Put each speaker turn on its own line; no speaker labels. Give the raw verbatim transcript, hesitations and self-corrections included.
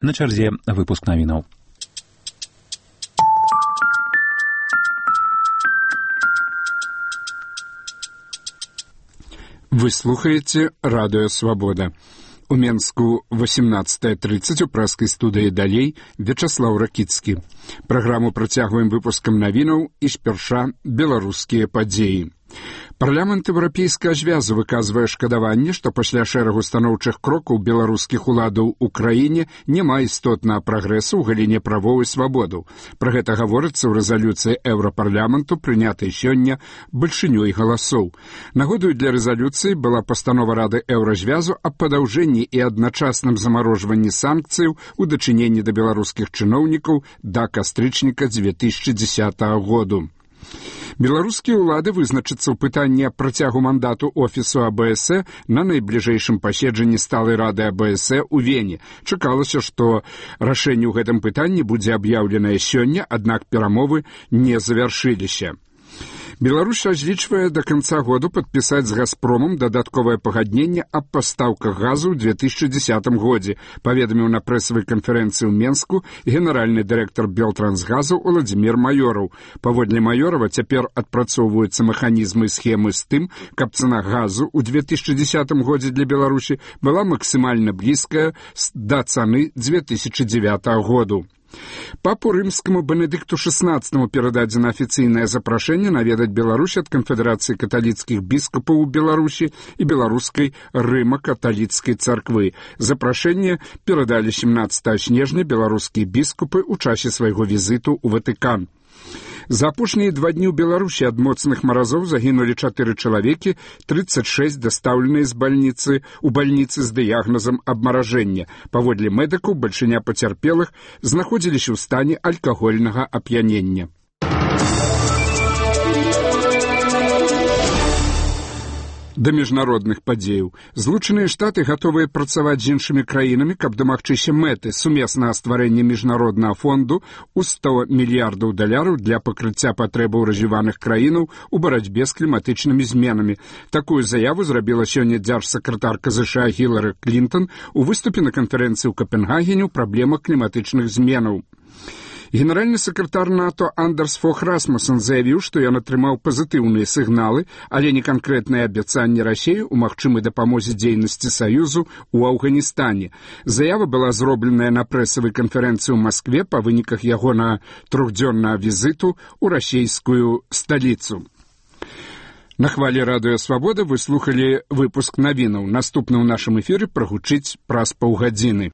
На чарзе выпуск навінаў.
Вы слухаете радио «Свобода». У Менску восемнадцатая тридцать у пражской студии «Далей» Вячеслав Ракицкі. Программу працягваем выпускам навінаў і спярша беларускія падзеі. Парламент Еўрапейскага звязу выказвае шкадаванне, што пасля шэрагу станоўчых крокаў беларускіх уладаў у краіне няма істотнага прагрэсу ў галіне правоў і свабодаў. Пра гэта гаворыцца ў рэзалюцыі Еўрапарламенту, прынятай сёння бальшынёй галасоў. Нагодаю для рэзалюцыі была пастанова Рады Еўразвязу аб падаўжэнні і адначасным замарожванні санкцыяў у дачыненні да беларускіх чыноўнікаў да кастрычніка дзве тысячы дзесятага году. Беларускія ўлады вызначацца ў пытанні аб працягу мандату офісу А Б С на найбліжэйшым паседжанні сталай рады А Б С у Вене. Чакалася, што рашэнне ў гэтым пытанні будзе аб'яўленае сёння, аднак перамовы не завяршыліся. Беларусь разлічвае да канца году падпісаць з «Газпромам» дадатковае пагадненне аб пастаўках газу ў дзве тысячы дзесятым годзе, паведаміў на прэсавай канферэнцыі ў Менску генеральны дырэктар Белтрансгазу Уладзімір Маёраў. Паводле Маёрава, цяпер адпрацоўваюцца механізмы і схемы з тым, каб цана газу ў дзве тысячы дзесятым годзе для Беларусі была максімальна блізкая да цаны дзве тысячы дзевятага году. Папу рымскаму Бенедыкту шестнадцатаму перададзена афіцыйнае запрашэнне наведаць Беларусь ад Канфедэрацыі каталіцкіх біскупаў у Беларусі і беларускай рыма-каталіцкай царквы. Запрашэнне перадалі семнадцатага снежня беларускія біскупы ў часе свайго візіту ў Ватыкан. За апошнія два дні ў Беларусі ад моцных маразоў загінулі чатыры чалавекі, тридцать шесть дастаўленыя з бальніцы у бальніцы з дыягназам абмаражэння. Паводле медыкаў, бальшыня пацярпелых знаходзіліся ў стане алкагольнага ап'янення. Да міжнародных падзеяў. Злучаныя Штаты гатовыя працаваць з іншымі краінамі, каб дамагчыся мэты сумеснага стварэння міжнароднага фонду ў сто мільярдаў даляраў для пакрыцця патрэбаў развіваных краінаў у барацьбе з кліматычнымі зменамі. Такую заяву зрабіла сёння дзяржсакратарка ЗША Гілары Клінтон у выступе на канферэнцыі ў Капенгагене ў праблемах кліматычных зменаў. Генеральны сакратар НАТО Андерс Фог Расмуссен заявіў, што ён атрымаў пазітыўныя сігналы, але не канкрэтныя абяцанні Расіі ў магчымай дапамозе дзейнасці Саюзу ў Афганістане. Заява была зробленая на прэсавай канферэнцыі ў Маскве па выніках ягонага трохдзённага візіту ў расійскую сталіцу. На хвалі радыё «Свабода» вы слухалі выпуск навінаў. Наступны ў нашым эфіры прагучыць праз паўгадзіны.